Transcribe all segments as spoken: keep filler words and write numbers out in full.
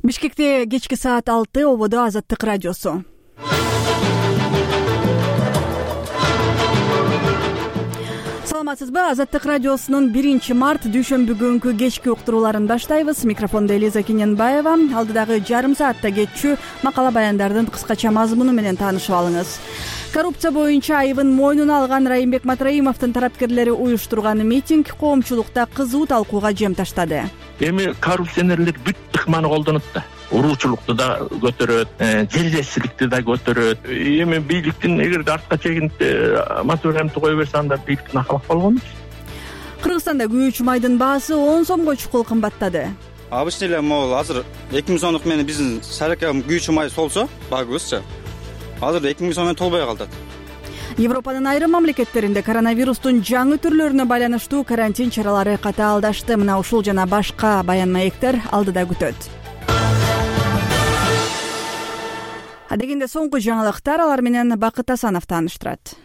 Бишкекте кечки саат алты, ободо Азаттык радиосу. Саламатсызбы? Азаттык радиосунун биринчи март дүйшөмбү күнкү кечки уктурууларын баштайбыз. Микрофондо Элиза Кененбаева. Алдыдагы жарым саатта кетчү макала баяндардын кыскача мазмуну менен таанышып алыңыз. Коррупция боюнча айыбын мойнуна алган Райымбек Матраимовдун тараптерлери уюштурган митинг коомчулукта кызуу талкууга жем таштады. Эми коррупционерлер бүт ыкманы колдонот да. Уруучулукту да көтөрөт, жердешчиликти да көтөрөт. Эми бийликтин эгерде артка чегинип Матраимовду кое берсе, анда бийликтин акылак болгону. Кыргызстанда күйүүчү майдын баасы он сомго чукул кымбаттады. Обычно эле могул азыр эки миң сомдук менен биздин саракам күйүүчү май солсо, багыбызчы. Азыр эки миң сом менен толбой калды. Европанын айрым мамлекеттеринде коронавирустун жаңы түрлөрүнө байланыштуу карантин чаралары катаалдашты. Мына ушул жана башка баян маектер алдыда күтөт. Адегенде соңку жаңылыктар, алар менен Бакыт Асанов тааныштырат.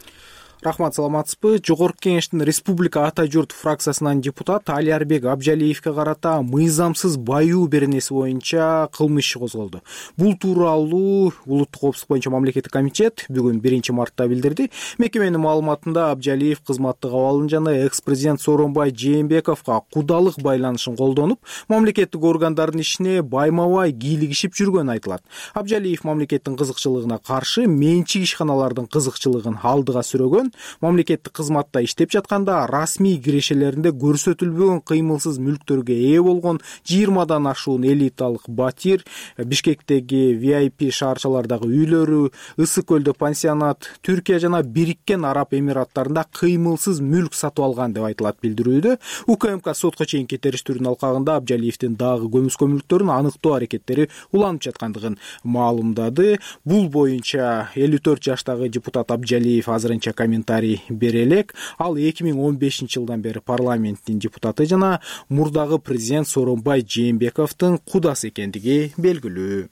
Рахмат, саламатсызбы? Жогорку Кеңештин Республика Ата журт фракциясынан депутат Алиарбек Абжалиевге карата мыйзамсыз баюу беренеси боюнча кылмыш иши козголду. Бул тууралуу Улуттук коопсуздук боюнча мамлекеттик комитет бүгүн биринчи мартта билдирди. Мекеменин маалыматында Абжалиев кызматтык абалын жана экс-президент Сооронбай Жээнбековго кудалык байланышын колдонуп, мамлекеттик органдардын ишине байма-бай кийлигишип жүргөнү айтылат. Абжалиев мамлекеттин кызыкчылыгына каршы менчик ишканалардын кызыкчылыгын алдыга сүрөгөн, мамлекеттик кызматта иштеп жатканда расмий кирешелеринде көрсөтүлбөгөн кыймылсыз мүлктөргө ээ болгон жыйырмадан ашуун элиталык батир, Бишкектеги ви ай пи шаарчалардагы үйлөрү, Ысык көлдө пансионат, Түркия жана Бириккен Араб Эмираттарында кыймылсыз мүлк сатып алган деп айтылат билдирүүдө. УКМК сотко чейинки териштирүүнүн алкагында Абжалиевдин дагы көмүскө мүлктөрүн аныктоо аракеттери уланып жаткандыгын маалымдады. Бул боюнча элүү төрт жаштагы депутат Абжалиев азырынча комментарий бере элек. Ал эки миң он бешинчи жылдан бери парламенттин депутаты жана мурдагы президент Сооронбай Жээнбековдун кудасы экендиги белгилүү.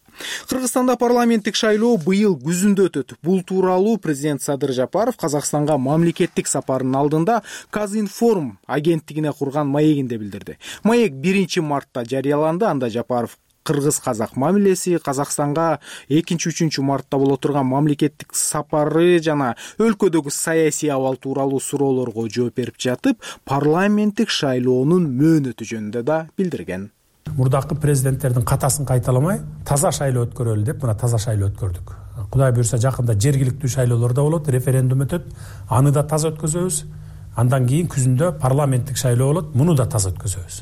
Кыргызстанда парламенттик шайлоо быйыл күзүндө өтөт. Бул тууралуу президент Садыр Жапаров Казакстанга мамлекеттик сапарынын алдында Казинформ агенттигине курган маегинде билдирди. Маек биринчи мартта жарыяланды. Анда Жапаров кыргыз-казак мамилеси, Казакстанга экинчи үчүнчү мартта боло турган мамлекеттик сапары жана өлкөдөгү саясий абал тууралуу суроолорго жооп берип жатып, парламенттик шайлоонун мөөнөтү жөнүндө да билдирген. Мурдакы президенттердин катасын кайталамай, таза шайлоо өткөрөлү деп, мына таза шайлоо өткөрдүк. Кудай буйрса жакында жергиликтүү шайлоолор да болот, референдум өтөт, аны да таза өткөзөбүз. Андан кийин күзүндө парламенттик шайлоо болот, муну да таза өткөзөбүз.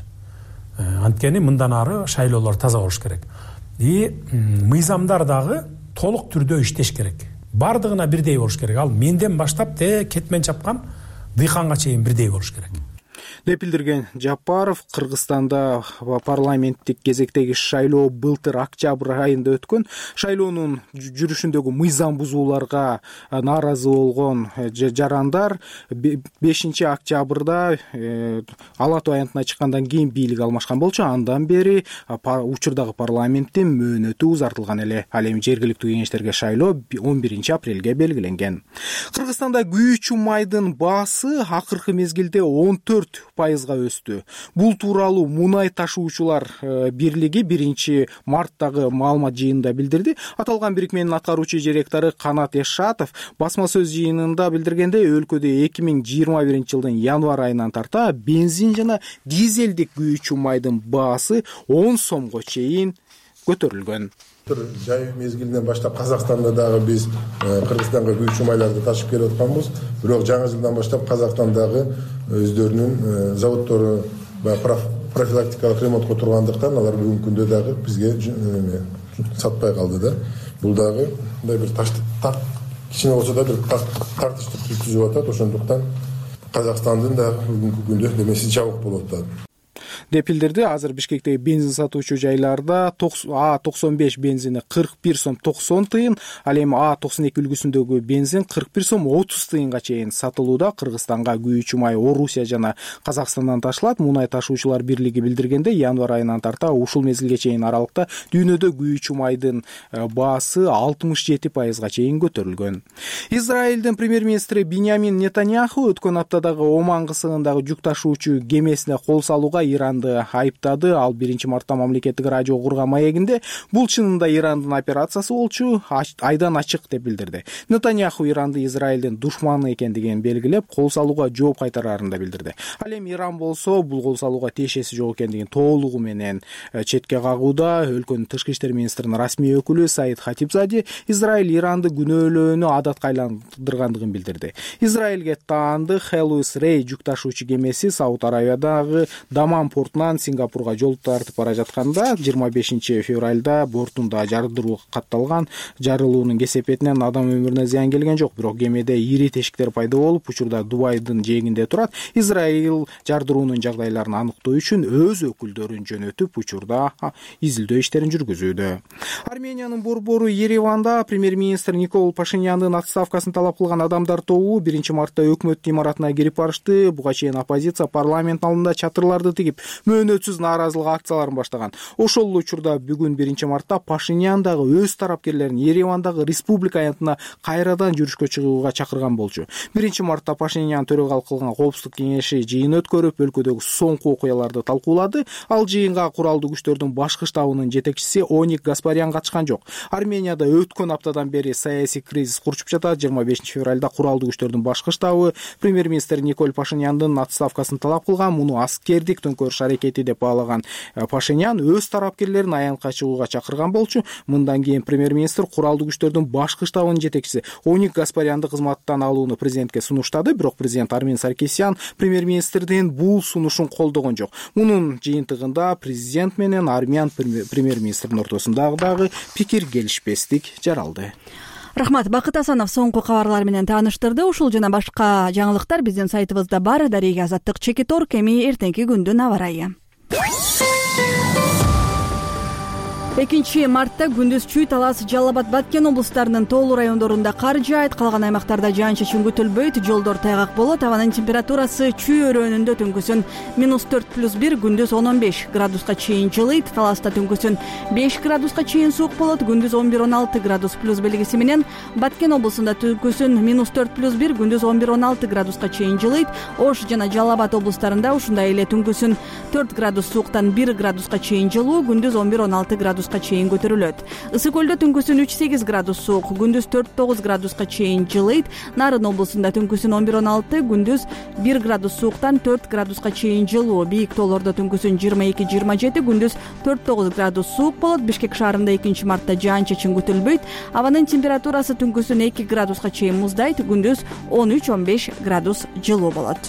Анткени мындан ары шайлоолор таза болуш керек. И мыйзамдар дагы толук түрдө иштеш керек. Бардыгына бирдей болуш керек. Ал менден баштап те кетмен чапкан дыйканга чейин бирдей болуш керек деп билдирген Жапаров. Кыргызстанда парламенттик кезектеги шайлоо былтыр октябрь айында өткөн. Шайлоонун жүрүшүндөгү мыйзам бузууларга нааразы болгон жарандар бешинчи октябрда Ала Тоо аянтына чыккандан кийин бийлик алмашкан болчу. Андан бери учурдагы парламенттин мөөнөтү узартылган эле. Ал эми жергиликтүү кеңештерге шайлоо он биринчи апрелге белгиленген. Кыргызстанда күйүүчү майдын баасы акыркы мезгилде он төрт пайызга өстү. Бул тууралуу Мунай ташуучулар бирлиги биринчи марттагы маалымат жыйынында билдирди. Аталган бирикменин аткаруучу директору Канат Эшатов басма сөз жыйынында билдиргенде, өлкөдө эки миң жыйырма биринчи жылдын январь айынан тарта бензин жана дизелдик күйүүчү майдын баасы он сомго чейин көтөрүлгөн. Жай мезгилинен баштап Казакстанда дагы биз Кыргызстанга күйүүчү майларды ташып келип атканбыз. Бирок жаңы жылдан баштап Казакстандагы өздөрүнүн заводдору профилактикалык ремонтко тургандыктан алар бүгүнкү күндө дагы бизге сатпай калды да. Бул дагы мындай бир кичине болсо да бир тартыштык түзүп атат. Ошондуктан Казакстандын да бүгүнкү күндө демеси жабык болуп атат деп билдирди. Азыр Бишкектеги бензин сатуучу жайларда А токсон беш бензини кырк бир сом токсон тыйын, ал эми А токсон эки үлгүсүндөгү бензин кырк бир сом отуз тыйынга чейин сатылууда. Кыргызстанга күйүүчү май Орусия жана Казакстандан ташылат. Мунай ташуучулар бирлиги билдиргенде, январь айынан тарта ушул мезгилге чейин аралыкта дүйнөдө күйүүчү майдын баасы алтымыш жети пайызга чейин көтөрүлгөн. Израилдин премьер-министри Биньямин Нетаньяху өткөн аптадагы Оман кысыгындагы жүк ташуучу кемесине кол салууга Иран Иранды айыптады. Ал биринчи мартта мамлекеттик радио курган маегинде бул чынында Ирандын операциясы болчу, айдан ачык деп билдирди. Нетаньяху Иранды Израилдин душманы экендигин белгилеп, кол салууга жооп кайтарарын да билдирди. Ал эми Иран болсо бул кол салууга тиешеси жок экендигин толугу менен четке кагууда. Өлкөнүн тышкы иштер министринин расмий өкүлү Саид Хатибзаде Израиль Иранды күнөөлөөнү адатка айландыргандыгын билдирди. Израилге таандык Хелуис Рей жүк ташуучу кемеси Сауд Аравиядагы Дамам портунан Сингапурга жол тартып бара жатканда жыйырма бешинчи февралда бортунда жардыруу катталган. Жарылуунун кесепетинен адам өмүрүнө зыян келген жок, бирок кемеде ири тешиктер пайда болуп, учурда Дубайдын жээгинде турат. Израиль жардыруунун жагдайларын аныктоо үчүн өз өкүлдөрүн жөнөтүп, учурда изилдөө иштерин жүргүзүүдө. Армениянын борбору Ереванда премьер-министр Никол Пашиняндын отставкасын талап кылган адамдар тобу биринчи мартта өкмөт имаратына кирип барышты. Буга чейин оппозиция парламент алдында чатырларды тигип, мөөнөтсүз нааразылык акцияларын баштаган. Ошол эле учурда бүгүн биринчи мартта Пашинян дагы өз тарапкерлерин Еревандагы республика аянтына кайрадан жүрүшкө чыгууга чакырган болчу. биринчи мартта Пашинян төрагалык кылган коопсуздук кеңеши жыйын өткөрүп, өлкөдөгү соңку окуяларды талкуулады. Ал жыйынга куралдуу күчтөрдүн башкы штабынын жетекчиси Оник Гаспарян катышкан жок. Арменияда өткөн аптадан бери саясий кризис курчуп жатат. жыйырма бешинчи февралда куралдуу күчтөрдүн башкы штабы премьер-министр Никол Пашиняндын отставкасын талап кылган. Муну аскердик төңкөрүш аракети деп баалаган Пашинян өз тарапкерлерин аянтка чыгууга чакырган болчу. Мындан кийин премьер-министр куралдуу күчтөрдүн башкы штабынын жетекчиси Оник Гаспарянды кызматтан алууну президентке сунуштады, бирок президент Армен Саркисян премьер-министрдин бул сунушун колдогон жок. Мунун жыйынтыгында президент менен армян премьер-министрдин ортосундагы дагы пикир келишпестик жаралды. Рахмат, Бакыт Асанов соңку кабарлар менен тааныштырды. Ушул жана башка жаңылыктар биздин сайтыбызда бар. Дарыга Азаттык Чекиторг. Эми эртеңки күндүн аба ырайы. экинчи мартта күндүз Чүй, Талас, Жалал Абад, Баткен облустарынын тоолуу райондорунда кар жаайт, калган аймактарда жаан-чачын күтүлбөйт, жолдор тайгак болот. Абанын температурасы Чүй өрөөнүндө түнкүсүн минус төрт плюс бир, күндүз он он беш градуска чейин жылыйт. Таласта түнкүсүн беш градуска чейин суук болот, күндүз он бир он алты градус плюс белгиси менен. Баткен облусунда түнкүсүн минус төрт плюс бир, күндүз он бир он алты градуска чейин жылыйт. Ош жана Жалал Абад облустарында ушундай эле түнкүсүн төрт градус сууктан бир градуска чейин жылуу, күндүз он бир он алты градус чейин көтөрүлөт. Ысык көлдө түнкүсүн үч сегиз градус суук, күндүз төрт тогуз градуска чейин жылыйт. Нарын облусунда түнкүсүн он бир он алты, күндүз бир градус сууктан төрт градуска чейин жылуу. Бийик тоолордо түнкүсүн жыйырма эки жыйырма жети, күндүз төрт тогуз градус суук болот. Бишкек шаарында экинчи мартта жаан-чачын күтүлбөйт. Абанын температурасы түнкүсүн эки градуска чейин муздайт, күндүз он үч он беш градус жылуу болот.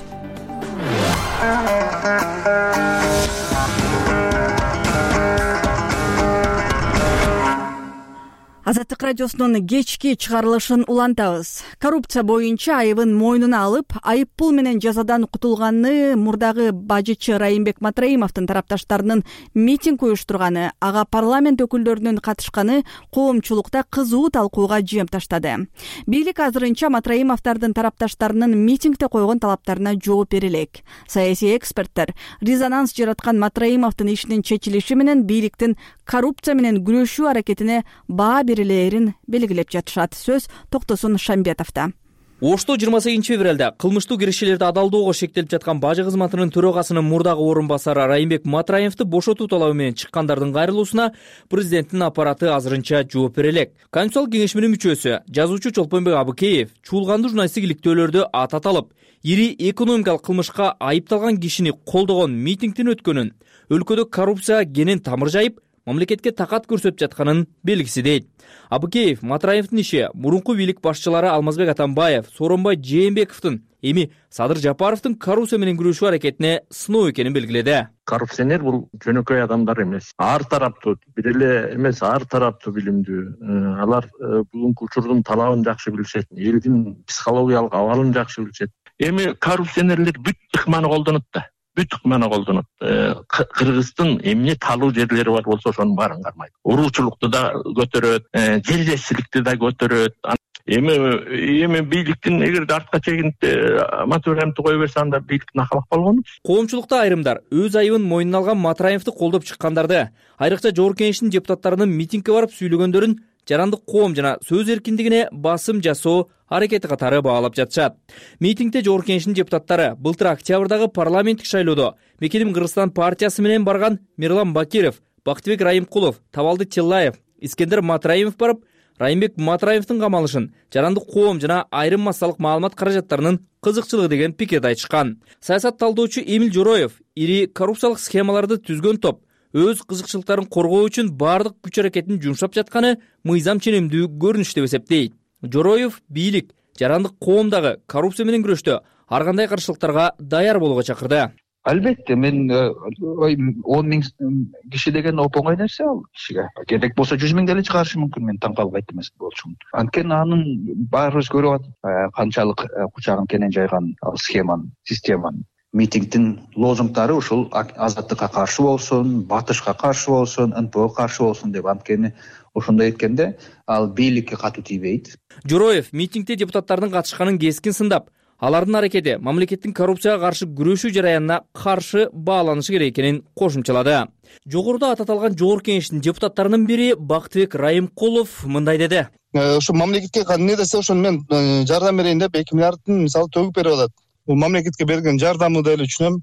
Азаттык радиосунун кечки чыгарылышын улантабыз. Коррупция боюнча айыбын мойнуна алып, айып пул менен жазадан кутулганы мурдагы бажычы Райымбек Матраимовдун тарапташтарынын митинг уюштурганы, ага парламент өкүлдөрүнүн катышканы коомчулукта кызуу талкууга жем таштады. Бийлик азырынча Матраимовдардын тарапташтарынын митингде койгон талаптарына жооп бере элек. Саясий эксперттер резонанс жараткан Матраимовдун ишинин чечилиши менен бийликтин коррупция менен күрөшүү аракетине баа берилерин белгилеп жатышат. Сөз Токтосун Шамбетовдо. Ошто жыйырма сегизинчи февралда кылмыштуу киришелерди адалдоого шектелип жаткан бажы кызматынын төрагасынын мурдагы орун басары Райымбек Матраимовду бошотуу талабы менен чыккандардын кайрылуусуна президенттин аппараты азырынча жооп бере элек. Конституциялык кеңешминин мүчөсү, жазуучу Чолпонбек Абыкеев чуулгандуу журналисттик иликтөөлөрдү атат алып, ири экономикалык кылмышка айыпталган кишини колдогон митингдин өткөнүн, өлкөдө коррупция кенен тамыр жайып, мамлекетке такат көрсөтүп жатканын белгиси дейт. Абыкеев Матраимовдун иши мурунку бийлик башчылары Алмазбек Атамбаев, Сооронбай Жээнбековдун, эми Садыр Жапаровдун коррупция менен күрөшүү аракетине сыноо экенин белгиледи. Коррупционер бул жөнөкөй адамдар эмес. Ар тараптуу, бир эле эмес, ар тараптуу билимдүү. Алар бүгүнкү учурдун талабын жакшы билишет, элдин психологиялык абалын жакшы билишет. Эми коррупционерлер бүт ыкманы колдонот да. Бүт ыкманы колдонот. Кыргыздын эмне талуу жерлери бар болсо ошонун баарын кармайт. Уруучулукту да көтөрөт, жердешчиликти да көтөрөт. Эми эми бийликтин эгерде артка чегинип Матраимовду кое берсе, анда бийлик накалак болгону. Коомчулукта айрымдар өз айыбын мойнуна алган Матраимовду колдоп чыккандарды, айрыкча Жогорку Кеңештин депутаттарынын митингге барып сүйлөгөндөрүн жарандык коом жана сөз эркиндигине басым жасоо аракети катары баалап жатышат. Митингде Жогорку Кеңештин депутаттары былтыр октябрдагы парламенттик шайлоодо Мекеним Кыргызстан партиясы менен барган Мирлан Бакиров, Бактыбек Райымкулов, Табалды Тиллаев, Искендер Матраимов барып, Райымбек Матраимовдун камалышын жарандык коом жана айрым массалык маалымат каражаттарынын кызыкчылыгы деген пикирди айтышкан. Саясат талдоочу Эмил Жороев ири коррупциялык схемаларды түзгөн топ өз кызыкчылыктарын коргоо үчүн баардык күч аракетин жумшап жатканы мыйзам ченемдүү көрүнүш деп эсептейт. Жороев бийлик жарандык коомдагы коррупция менен күрөштө ар кандай каршылыктарга даяр болууга чакырды. Албетте, мен он миң киши деген оңой нерсе ал кишиге. Керек болсо жүз миң деле чыгарышы мүмкүн, мен таң калбайт эмес болчумун. Анткени анын баарыбыз көрүп атат, канчалык кучагын кенен жайган ал схеманы, системаны. Митингдин лозунгдары ушул азаттыкка каршы болсун, батышка каршы болсун, эн пэ оға каршы болсун деп, анткени ошондой эткенде ал бийликке катуу тийбейт. Жороев митингде депутаттардын катышканын кескин сындап, алардын аракети мамлекеттин коррупцияга каршы күрөшүү жараянына каршы бааланышы керек экенин кошумчалады. Жогоруда ататалган Жогорку Кеңештин депутаттарынын бири Бактыбек Райымкулов мындай деди. Ушу мамлекетке эмне десе ошону мен жардам берейин деп эки миллиардтын мисалы төгүп берип атат. Бул мамлекетке берген жардамы да эле түшүнөм.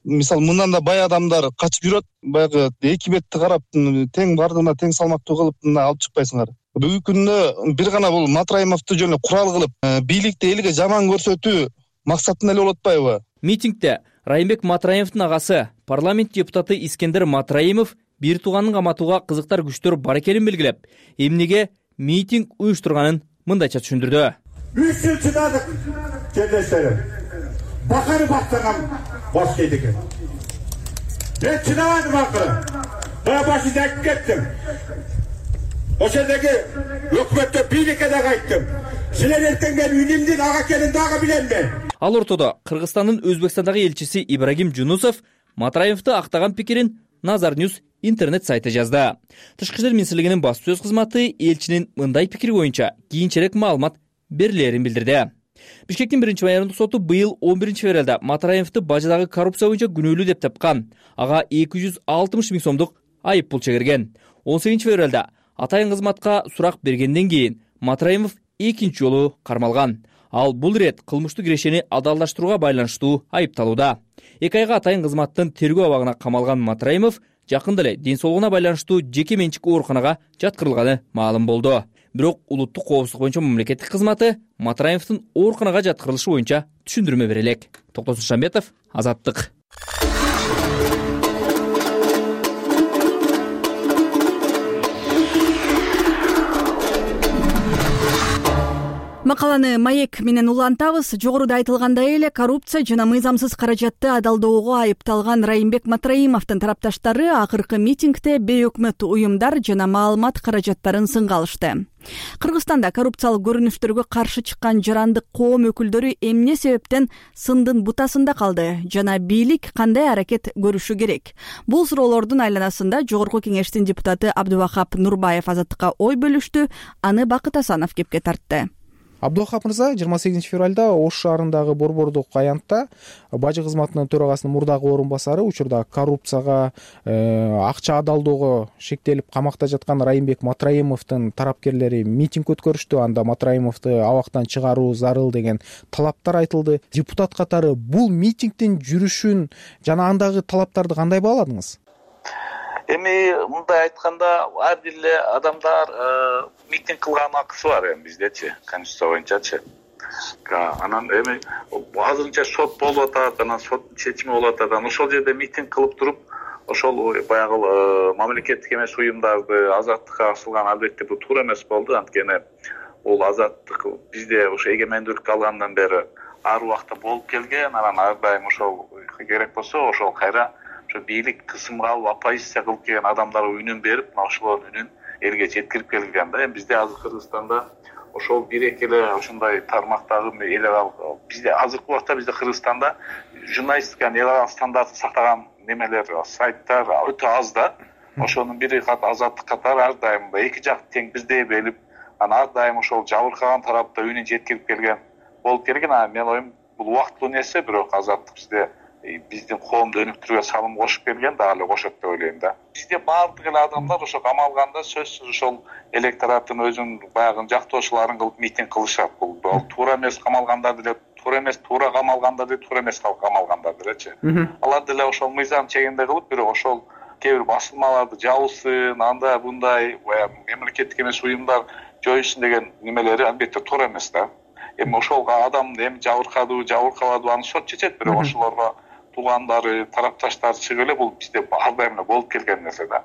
Мисалы мындан да бай адамдар качып жүрөт, баягы эки бетти карап тең бардыгына тең салмактуу кылып алып чыкпайсыңар. Бүгүнкү күндө бир гана бул Матраимовду жөн курал кылып, бийликти элге жаман көрсөтүү максатын эле болуп атпайбы? Митингде Райымбек Матраимовдун агасы, парламент депутаты Искендер Матраимов бир тууганын каматууга кызыктар күчтөр бар экенин белгилеп, эмнеге митинг уюштурганын мындайча түшүндүрдү. Үч жыл чыдадык, жерлештерим. Бакары бактаган бош кейди экен. Мен чыдабадым акыры. Бая башында айтып кеттим. Ошондоги өкмөттө бийликке дагы айттым. Силер эртеңген үнүмдүн ага экенин дагы биленмен. Ал ортодо Кыргызстандын Өзбекстандагы элчиси Ибрагим Жунусов Матраимовду актаган пикирин Назар Ньюс интернет сайты жазды. Тышкы иштер министрлигинин баспасөз кызматы элчинин мындай пикири боюнча кийинчерээк маалымат берилерин билдирди. Бишкектин биринчи майордук соту быйыл он биринчи февралда Матраимовду бажадагы коррупция боюнча күнөөлүү деп тапкан. Ага эки жүз алтымыш миң сомдук айып пул чегирген. он сегизинчи февралда атайын кызматка сурак бергенден кийин Матраимов экинчи жолу кармалган. Ал бул ирет кылмыштуу кирешени адалдаштырууга байланыштуу айыпталууда. эки айга атайын кызматтын тергөө абагына камалган Матраимов жакында эле ден соолугуна байланыштуу жеке менчик ооруканага жаткырылганы маалым болду. Бирок улуттук коопсуздук боюнча мамлекеттик кызматы Матраимовдун ооруканага жаткырылышы боюнча түшүндүрмө бере элек. Токтосун Шамбетов, Азаттык. Макаланы маек менен улантабыз. Жогоруда айтылгандай эле коррупция жана мыйзамсыз каражатты адалдоого айыпталган Райымбек Матраимовдун тарапташтары акыркы митингде бейөкмөт уюмдар жана маалымат каражаттарын сынга алышты. Кыргызстанда коррупциялык көрүнүштөргө каршы чыккан жарандык коом өкүлдөрү эмне себептен сындын бутасында калды жана бийлик кандай аракет көрүшү керек? Бул суроолордун айланасында Жогорку Кеңештин депутаты Абдубахап Нурбаев Азаттыкка ой бөлүштү. Аны Бакыт Асанов кепке тартты. Абдухап мырза, жыйырма сегизинчи февралда Ош шаарындагы Борбордук аянтта бажы кызматынын төрагасынын мурдагы орун басары учурда коррупцияга, акча адалдоого шектелип камакта жаткан Райымбек Матраимовдун тарапкерлери митинг өткөрүштү. Анда Матраимовду абактан чыгаруу зарыл деген талаптар айтылды. Депутат катары бул митингдин жүрүшүн жана андагы талаптарды кандай бааладыңыз? Эми мындай айтканда, ар бир эле адамдар митинг кылган акысы бар эми биздечи, конституция боюнчачы. Анан эми азырынча сот болуп атат, анан соттун чечими болуп атат. Анан ошол жерде митинг кылып туруп, ошол баягы мамлекеттик эмес уюмдарды азаттыкка асылган, албетте бул туура эмес болду. Анткени бул азаттык бизде ошо эгемендүүлүк алгандан бери ар убакта болуп келген. Анан ар дайым ошол керек болсо ошол кайра бийлик кысымга алып оппозиция кылып келген адамдарга үнүн берип, ошолордун үнүн элге жеткирип келген да. Эми бизде азыр Кыргызстанда ошол бир эки эле ошондой тармактагы эл аралык бизде азыркы убакта бизде Кыргызстанда журналистиканын эл аралык стандартын сактаган немелер, сайттар өтө аз да. Ошонун бири кат азаттык катары ар дайым эки жак тең бирдей белип, анан ар дайым ошол жабыркаган тарапта үнүн жеткирип келген болуп келген. Анан мен оюм бул убактылуу нерсе, бирок азаттык бизде биздин коомду өнүктүрүүгө салым кошуп келген, дагы эле кошот деп ойлойм да. Бизде баардык эле адамдар ошо камалганда сөзсүз ошол электораттын өзүнүн баягы жактоочуларын кылып митинг кылышат. Бул туура эмес камалгандар деле туура эмес, туура камалгандар деле туура эмес камалгандар делечи. Алар деле ошол мыйзам чегинде кылып, бирок ошол кээ бир басылмаларды жабылсын, андай мындай баягы мамлекеттик эмес уюмдар жоюшун деген немелери албетте туура эмес да. Эми ошол адамды эми жабыркадыбы, жабыркабадыбы аны сот чечет, бирок ошолорго туугандары, тарапташтары чыгып эле бул бизде ар дайым эле болуп келген нерсе да.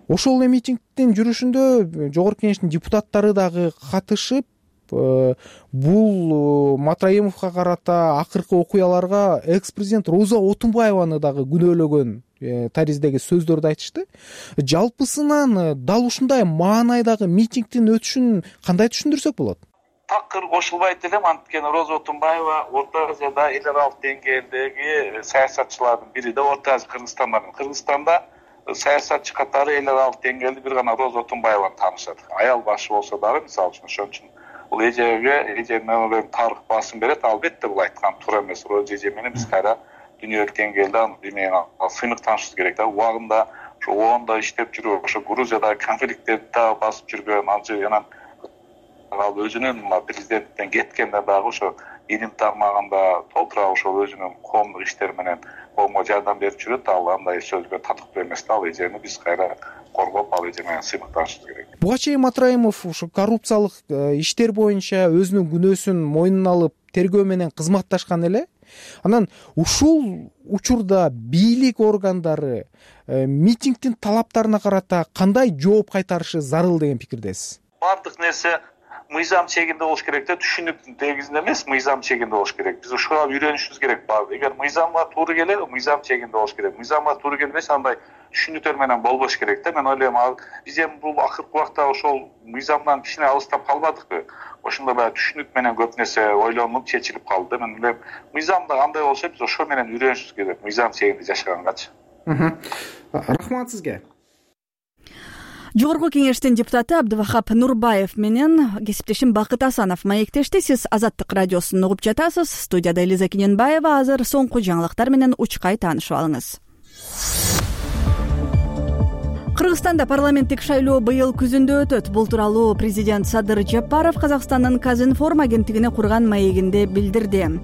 Ошол эле митингдин жүрүшүндө Жогорку Кеңештин депутаттары дагы катышып, бул Матраимовго карата акыркы окуяларга экс-президент Роза Отунбаеваны дагы күнөөлөгөн тариздеги сөздөрдү айтышты. Жалпысынан дал ушундай маанайдагы митингдин өтүшүн кандай түшүндүрсөк болот? Такыр кошулбайт элем, анткени Роза Отунбаева Орто Азияда эл аралык деңгээлдеги саясатчылардын бири да. Орто Азия Кыргызстанда Кыргызстанда саясатчы катары эл аралык деңгээлде бир гана Роза Отунбаеваны таанышат. Аял башы болсо дагы, мисалы үчүн, ошон үчүн бул эжеге эженин тарых басым берет. Албетте бул айткан туура эмес. Роза эже менен биз кайра дүйнөлүк деңгээлде аны сыйнык таанышыбыз керек да. Убагында ошо ООНдо иштеп жүрүп, ошо Грузиядагы конфликттерди да басып жүргөн, анча анан ал өзүнүн президенттен кеткенде дагы ошо илим тармагында толтура ошол өзүнүн коомдук иштери менен коомго жардам берип жүрөт. Ал андай сөзгө татыктуу эмес да. Ал эжени биз кайра коргоп, ал эже менен сыйнык таанышыбыз керек. Буга чейин Матраимов ошо коррупциялык иштер боюнча өзүнүн күнөөсүн мойнуна алып тергөө менен кызматташкан эле. Анан ушул учурда бийлик органдары митингдин талаптарына карата кандай жооп кайтарышы зарыл деген пикирдесиз? Бардык нерсе мыйзам чегинде болуш керек да, түшүнүктүн тегизинде эмес, мыйзам чегинде болуш керек. Биз ушуга үйрөнүшүбүз керек. Эгер мыйзамга туура келет, мыйзам чегинде болуш керек. Мыйзамга туура келбесе, андай түшүнүктөр менен болбош керек да. Мен ойлойм, биз эми бул акыркы убакта ошол мыйзамдан кичине алыстап калбадыкпы? Ошондо баягы түшүнүк менен көп нерсе ойлонуп чечилип калды да. Мен ойлойм, мыйзамда кандай болсо, биз ошо менен үйрөнүшүбүз керек. Мыйзам чегинде жашагангачы. Рахмат сизге. Жогорку Кеңештин депутаты Абдывахап Нурбаев менен кесиптешим Бакыт Асанов маектешти. Сиз Азаттык радиосун угуп жатасыз. Студияда Элиза Кененбаева. Азыр соңку жаңылыктар менен учкай таанышып алыңыз. Кыргызстанда парламенттик шайлоо быйыл күзүндө өтөт. Бул тууралуу президент Садыр Жапаров Казакстандын Казинформ агенттигине курган маегинде билдирди.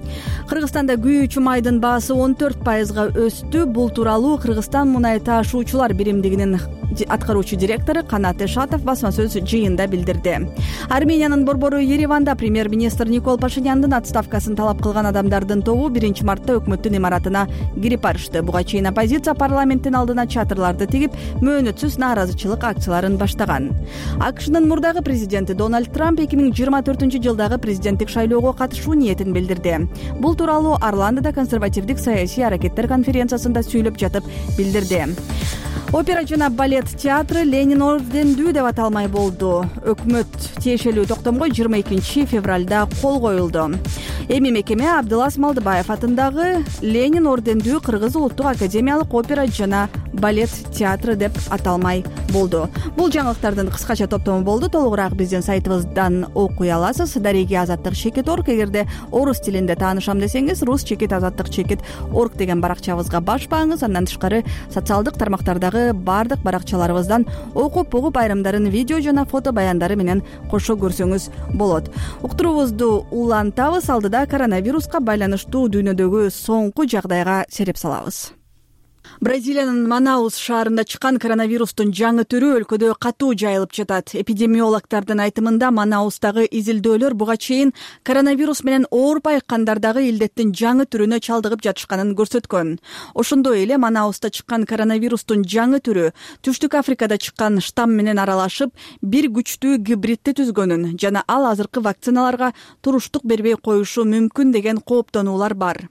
Кыргызстанда күйүүчү майдын баасы он төрт пайызга өстү. Бул тууралуу Кыргызстан мунай таашуучулар биримдигинин аткаруучу директору Канат Эшатов басма сөз жыйында билдирди. Армениянын борбору Ереванда премьер-министр Никол Пашиняндын отставкасын талап кылган адамдардын тобу биринчи мартта өкмөттүн имаратына кирип барышты. Буга чейин оппозиция парламенттин алдына чатырларды тигип, мөөнөтсүз нааразычылык акцияларын баштаган. АКШнын мурдагы президенти Дональд Трамп эки миң жыйырма төртүнчү жылдагы президенттик шайлоого катышуу ниетин билдирди. Бул тууралуу Орландода консервативдик саясий аракеттер конференциясында сүйлөп жатып билдирди. Опера жана балет театры Ленин ордендүү деп аталмай болду. Өкмөт тиешелүү токтомго жыйырма экинчи февралда кол коюлду. Эми мекеме Абдылас Малдыбаев атындагы Ленин ордендүү Кыргыз улуттук академиялык опера жана балет театры деп аталмай болду. Бул жаңылыктардын кыскача топтому болду. Толугураак биздин сайтыбыздан окуй аласыз. Дареги азаттык чекит орг. Эгерде орус тилинде таанышам десеңиз, рус чекит азаттык чекит орг деген баракчабызга баш бааңыз. Андан тышкары социалдык тармактардагы бардык баракчаларыбыздан окуп угуп айрымдарын видео жана фото баяндары менен кошо көрсөңүз болот. Уктуруубузду улантабыз. Алдыда коронавируска байланыштуу дүйнөдөгү соңку жагдайга сереп салабыз. Бразилиянын Манаус шаарында чыккан коронавирустун жаңы түрү өлкөдө катуу жайылып жатат. Эпидемиологдордун айтымында Манаустагы изилдөөлөр буга чейин коронавирус менен ооруп айыккандардагы илдеттин жаңы түрүнө чалдыгып жатышканын көрсөткөн. Ошондой эле Манауста чыккан коронавирустун жаңы түрү Түштүк Африкада чыккан штамм менен аралашып, бир күчтүү гибридти түзгөнүн жана ал азыркы вакциналарга туруштук бербей коюшу мүмкүн деген кооптонуулар бар.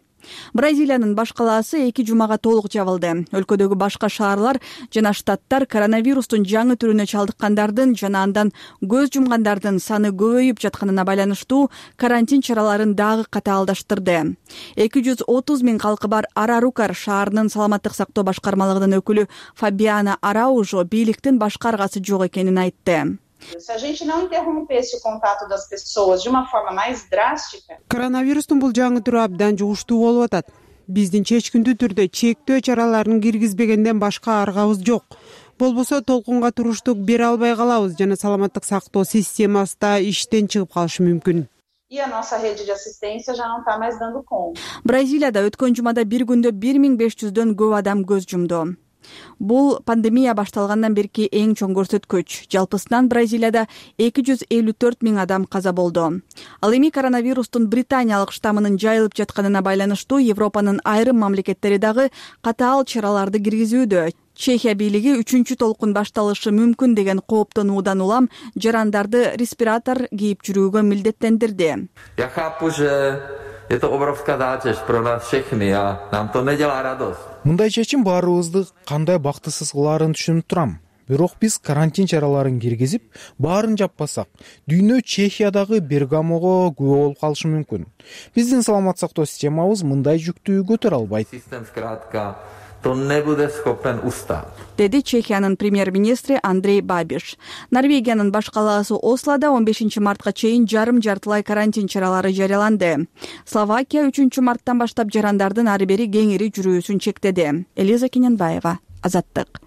Бразилиянын баш калаасы эки жумага толук жабылды. Өлкөдөгү башка шаарлар жана штаттар коронавирустун жаңы түрүнө чалдыккандардын жана андан көз жумгандардын саны көбөйүп жатканына байланыштуу карантин чараларын дагы катаалдаштырды. эки жүз отуз миң калкы бар Арарукар шаарынын саламаттык сактоо башкармалыгынын өкүлү Фабиана Араужо бийликтин башка аргасы жок экенин айтты. Se a gente não interrompesse o contato das pessoas de uma forma mais drástica. Коронавирустун бул жаңы түрү абдан жугуштуу болуп атат. биздин чечкиндүү түрдө чектөө чараларын киргизбегенден башка аргабыз жок. Болбосо толкунга туруштук бере албай калабыз жана саламаттык сактоо системасы да иштен чыгып калышы мүмкүн. E a nossa rede de assistência já não está mais dando conta. Бразилияда өткөн жумада бир күндө бир миң беш жүздөн көп адам көз жумду. Бул пандемия башталгандан берки эң чоң көрсөткүч. Жалпысынан Бразилияда эки жүз элүү төрт миң адам каза болду. Ал эми коронавирустун британиялык штаммынын жайылып жатканына байланыштуу Европанын айрым мамлекеттери дагы катаал чараларды киргизүүдө. Чехия бийлиги үчүнчү толкун башталышы мүмкүн деген кооптонуудан улам жарандарды респиратор кийип жүрүүгө милдеттендирди. Я хапу же это огромная задача про нас всех, а нам то не делает радость. Мындай чечим баарыбызды кандай бактысыз кылаарын түшүнүп турам. Бирок биз карантин чараларын киргизип, баарын жаппасак, дүйнө Чехиядагы Бергамого күбө болуп калышы мүмкүн. Биздин саламат сактоо системабыз мындай жүктүү көтөрө албайт. То не буде скопен устав. Деди Чехиянын премьер-министри Андрей Бабиш. Норвегиянын баш калаасы Ослода он бешинчи мартка чейин жарым жартылай карантин чаралары жарыяланды. Словакия үчүнчү марттан баштап жарандардын ары бери кеңири жүрүүсүн чектеди. Элиза Кененбаева, Азаттык.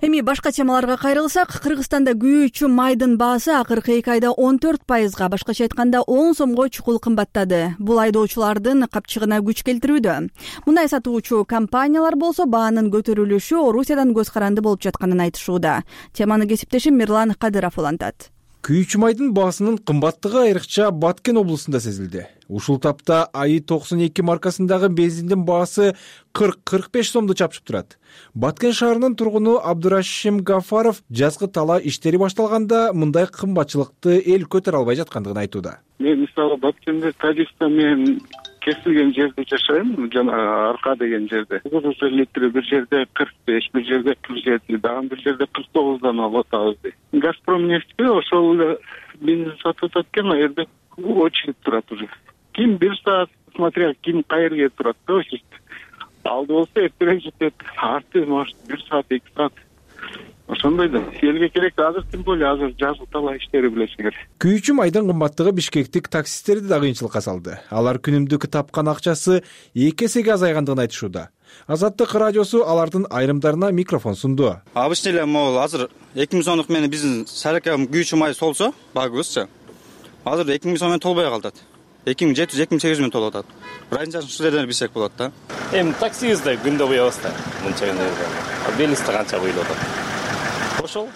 Эми башка темаларга кайрылсак, Кыргызстанда күйүүчү майдын баасы акыркы эки айда он төрт пайызга, башкача айтканда он сомго чукул кымбаттады. Бул айдоочулардын капчыгына күч келтирүүдө. Мындай сатуучу компаниялар болсо баанын көтөрүлүшү Орусиядан көз каранды болуп жатканын айтышууда. Теманы кесиптешим Мирлан Кадыров улантат. Күйүүчү майдын баасынын кымбаттыгы айрыкча Баткен облусунда сезилди. Ушул тапта АИ токсон эки маркасындагы бензиндин баасы кырк кырк беш сомду чапшып турат. Баткен шаарынын тургуну Абдурашим Гафаров жазгы тала иштери башталганда мындай кымбатчылыкты эл көтөрө албай жаткандыгын айтууда. Мен мисалы Баткенде Тажикстан менен кесилген жерде жашайм, жана Арка деген жерде. Кыргыз литри бир жерде кырк беш, бир жерде кырк жети, дагы бир жерде кырк тогуздан алып атабыз. Газпром нефти ошол эле бензин сатып атат экен, а жерде очередь турат уже. Ким бир саат, смотря ким кайерге турат, очередь. Алды болсо эртерээк жетет, арты может бир саат, эки саат. Ошондой да. Элге керек азыр, тем более азыр жазгы тала иштери билесиңер. Күйүүчү майдын кымбаттыгы бишкектик таксисттерди да кыйынчылыкка салды. Алар күнүмдүк тапкан акчасы эки эсеге азайгандыгын айтышууда. Азаттык радиосу алардын айрымдарына микрофон сунду. Обычно эле могул азыр эки миң сомдук менен биздин саракам күйүүчү май солсо, багыбызчы. Азыр эки миң сом менен толбой калат. эки миң жети жүз, эки миң сегиз жүз менен толуп атат. Разницасын ушул жерден билсек болот да. Эми таксибизде күндө буябыз да. Мынча күндө. Белисте канча буйлап атат. Ошол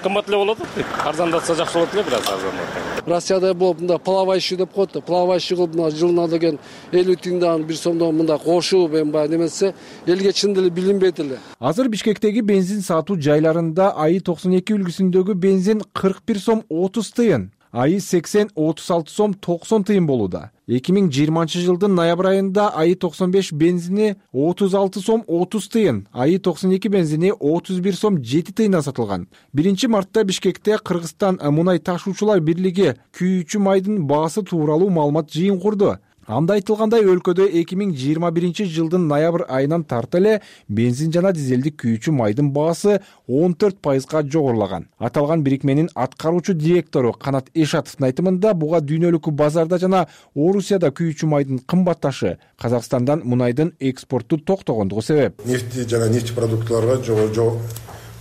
кымбат эле болот. Арзандатса жакшы болот эле, бир аз арзандатса. Россияда болуп мында плавающий деп коет да. Плавающий кылып мына жылына деген элүү тиңден бир сомдон мында кошуп эми баягы немесе элге чын деле билинбейт эле. Азыр Бишкектеги бензин сатуу жайларында АИ токсон эки үлгүсүндөгү бензин кырк бир сом отуз тыйын, АИ сексен отуз алты сом токсон тыйын болууда. эки миң жыйырманчы жылдын ноябрь айында АИ токсон беш бензини отуз алты сом отуз тыйын, АИ токсон эки бензини отуз бир сом жети тыйындан сатылган. биринчи мартта Бишкекте Кыргызстан мунай ташуучулар бирлиги күйүүчү майдын баасы тууралуу маалымат жыйын курду. Анда айтылгандай, өлкөдө эки миң жыйырма биринчи жылдын ноябрь айынан тарта эле бензин жана дизелдик күйүүчү майдын баасы он төрт пайызга жогорулаган. Аталган бирикменин аткаруучу директору Канат Эшатовдун айтымында буга дүйнөлүк базарда жана Орусияда күйүүчү майдын кымбатташы Казакстандан мунайдын экспорту токтогондугу себеп. Нефти жана нефть продуктларга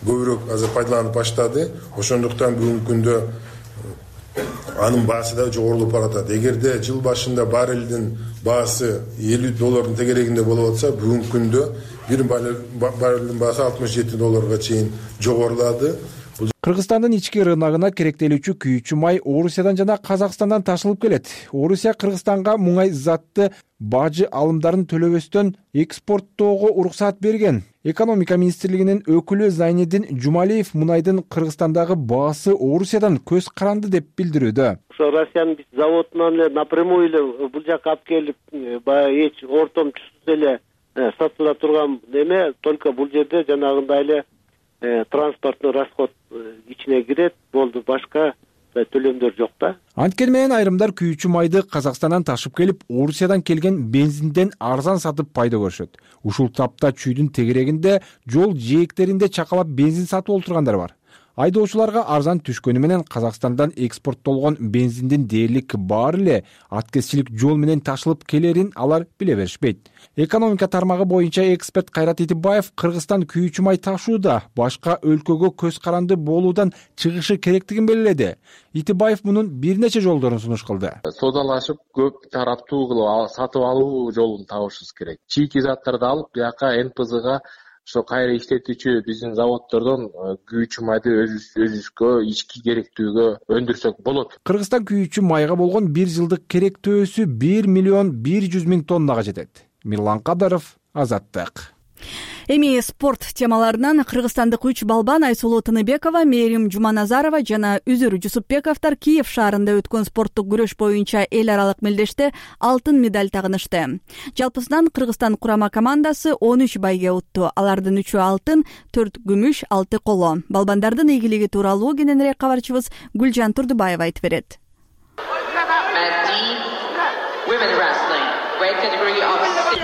көбүрөөк азыр пайдаланып баштады. Ошондуктан бүгүнкү күндө анын баасы да жогорулуп баратат. Эгерде жыл башында баррелдин баасы элүү доллардын тегерегинде болуп атса, бүгүнкү күндө бир баррелдин баасы алтымыш жети долларга чейин жогорулады. Кыргызстандын ички рыногуна керектелүүчү күйүүчү май Орусиядан жана Казакстандан ташылып келет. Орусия Кыргызстанга муңай затты бажы алымдарын төлөбөстөн экспорттоого уруксаат берген. Экономика министрлигинин өкүлү Зайнедин Жумалиев мунайдын Кыргызстандагы баасы Орусиядан көз каранды деп билдирүүдө. Ошо Россиянын биз заводунан эле напрямую эле бул жака алып келип, баягы эч ортомчусуз эле сатыла турган эме, только бул жерде жанагындай эле транспорттун расход ичине кирет, болду. Башка төлөмдөр жок да. Анткени менен айрымдар күйүүчү майды Казакстандан ташып келип, Орусиядан келген бензинден арзан сатып пайда көрүшөт. Ушул тапта чүйдүн тегерегинде жол жээктеринде чакалап бензин сатып олтургандар бар. Айдоочуларга арзан түшкөнү менен Казакстандан экспорттолгон бензиндин дээрлик баары эле аткезчилик жол менен ташылып келерин алар биле беришпейт. Экономика тармагы боюнча эксперт Кайрат Итибаев Кыргызстан күйүүчү май ташууда башка өлкөгө көз каранды болуудан чыгышы керектигин белгиледи. Итибаев мунун бир нече жолдорун сунуш кылды. Содалашып көп тараптуу кылып сатып алуу жолун табышыбыз керек. Чийки заттарды алып, бияка эн пэ зэга ошо кайра иштетүүчү биздин заводдордон күйүүчү майды өзүбүзгө ички керектүүгө өндүрсөк болот. Кыргызстан күйүүчү майга болгон бир жылдык керектөөсү бир миллион бир жүз миң тоннага жетет. Мирлан Кадаров, Азаттык. Эми спорт темаларынан кыргызстандык үч балбан Айсулуу Тыныбекова, Мээрим Жуманазарова жана Үзүр Жусупбековдор Киев шаарында өткөн спорттук күрөш боюнча эл аралык мелдеште алтын медаль тагынышты. Жалпысынан Кыргызстан курама командасы он үч байге утту. Алардын үчөө алтын, төрт күмүш, алты коло. Балбандардын ийгилиги тууралуу кененирээк кабарчыбыз Гүлжан Турдубаева айтып берет.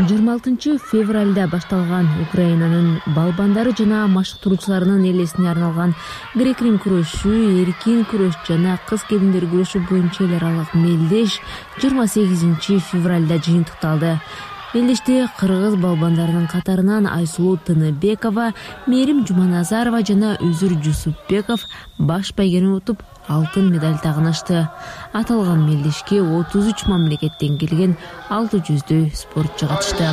жыйырма алтынчы февралда башталган Украинанын балбандары жана машыктыруучуларынын элесине арналган грек-рим күрөшү, эркин күрөш жана кыз келиндер күрөшү боюнча эл аралык мелдеш жыйырма сегизинчи февралда жыйынтыкталды. Мелдеште кыргыз балбандарынын катарынан Айсулуу Тыныбекова, Мээрим Жуманазарова жана Үзүр Жусупбеков баш байгени утуп алтын медаль тагынышты. Аталган мелдешке отуз үч мамлекеттен келген алты жүздөй спортчу катышты.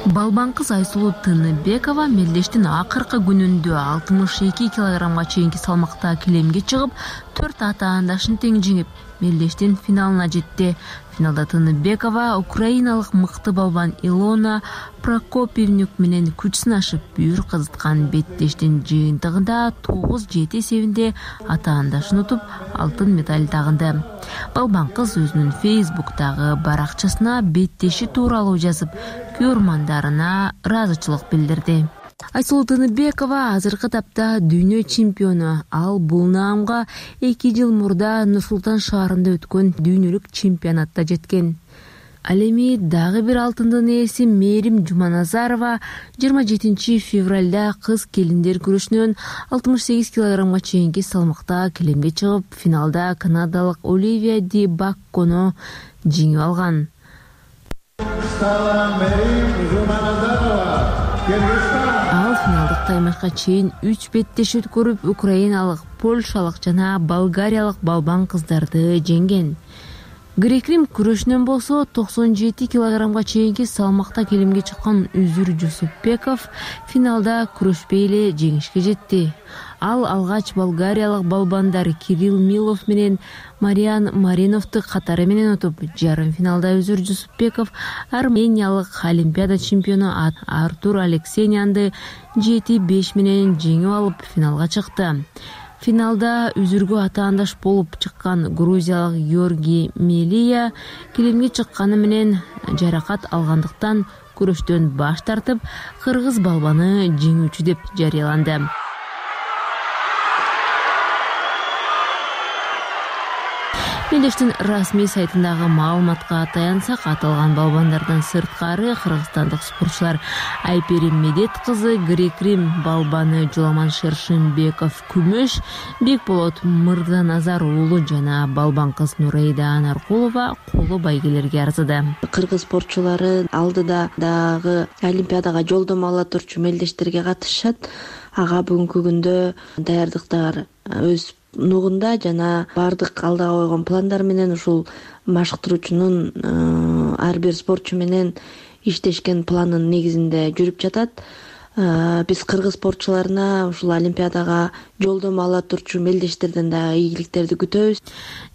Балбан кыз Айсулуу Тыныбекова мелдештин акыркы күнүндө алтымыш эки килограммга чейинки салмакта килемге чыгып, төрт атаандашын тең жеңип, мелдештин финалына жетти. Финалда Тыныбекова украиналык мыкты балбан Илона Прокопьевнюк менен күч сынашып, бүйүр кызыткан беттештин жыйынтыгында тогуз жети эсебинде атаандашын утуп, алтын медаль тагынды. Балбан кыз өзүнүн Фейсбуктагы баракчасына беттеши тууралуу жазып, көрмандарына ыраазычылык билдирди. Айсулуу Тыныбекова азыркы тапта дүйнө чемпиону. Ал бул наамга эки жыл мурда Нур-Султан шаарында өткөн дүйнөлүк чемпионатта жеткен. Ал эми дагы бир алтындын ээси Мээрим Жуманазарова жыйырма жетинчи февралда кыз келиндер күрөшүнөн алтымыш сегиз килограммга чейинки салмакта килемге чыгып, финалда канадалык Оливия Ди Баккону жеңип алган. Ал финалдык таймашка чейин үч беттеш өткөрүп, украиналык, польшалык жана болгариялык балбан кыздарды жеңген. Грек-рим күрөшүнөн болсо токсон жети килограммга чейинки салмакта келимге чыккан Үзүр Жусупбеков финалда күрөшпөй эле жеңишке жетти. Ал алгач болгариялык балбандар Кирилл Милов менен Мариан Мариновду катары менен утуп, жарым финалда Үзүр Жусупбеков армениялык олимпиада чемпиону Артур Алексеянды жети беш менен жеңип алып, финалга чыкты. Финалда Үзүргө атаандаш болуп чыккан грузиялык Георгий Мелия килемге чыкканы менен жаракат алгандыктан күрөштөн баш тартып, кыргыз балбаны жеңүүчү деп жарыяланды. Мелдештин расмий сайтындагы маалыматка таянсак, аталган балбандардан сырткары кыргызстандык спортчулар Айперим Медет кызы грек-рим балбаны Жуламан Шершенбеков күмүш, Бекболот Мырзаназар уулу жана балбан кыз Нурейда Анаркулова коло байгелерге арзыды. Кыргыз спортчулары алдыда дагы олимпиадага жолдомо ала турчу мелдештерге катышат. Ага бүгүнкү күндө даярдыктар өз нугунда жана бардык алдыга койгон пландар менен ушул машыктыруучунун ар бир спортчу менен иштешкен планын негизинде жүрүп жатат. Биз кыргыз спортчуларына ушул олимпиадага жолдомо ала турчу мелдештерден дагы ийгиликтерди күтөбүз,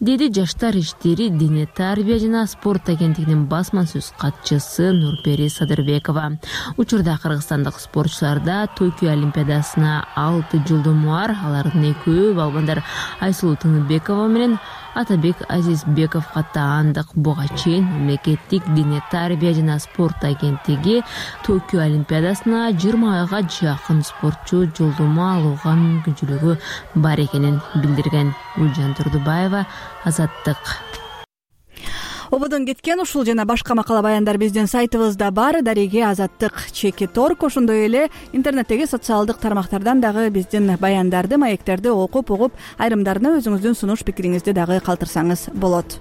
деди Жаштар иштери, дене тарбия жана спорт агенттигинин басма сөз катчысы Нурпери Садырбекова. Учурда кыргызстандык спортчуларда Токио олимпиадасына алты жолдомо бар. Алардын экөө балбандар Айсулуу Тыныбекова менен Атабек Азизбеков каттаандык. Буга чейин мамлекеттик дене тарбия жана спорт агенттиги Токио олимпиадасына жыйырма айга жакын спортчу жолдомо алууга мүмкүнчүлүк мүмкүнчүлүгү бар экенин билдирген. Гүлжан Турдубаева, Азаттык. Ободон кеткен ушул жана башка макала баяндар биздин сайтыбызда бар. Дареге Азаттык чеки торг. Ошондой эле интернеттеги социалдык тармактардан дагы биздин баяндарды, маектерди окуп угуп, айрымдарына өзүңүздүн сунуш пикириңизди дагы калтырсаңыз болот.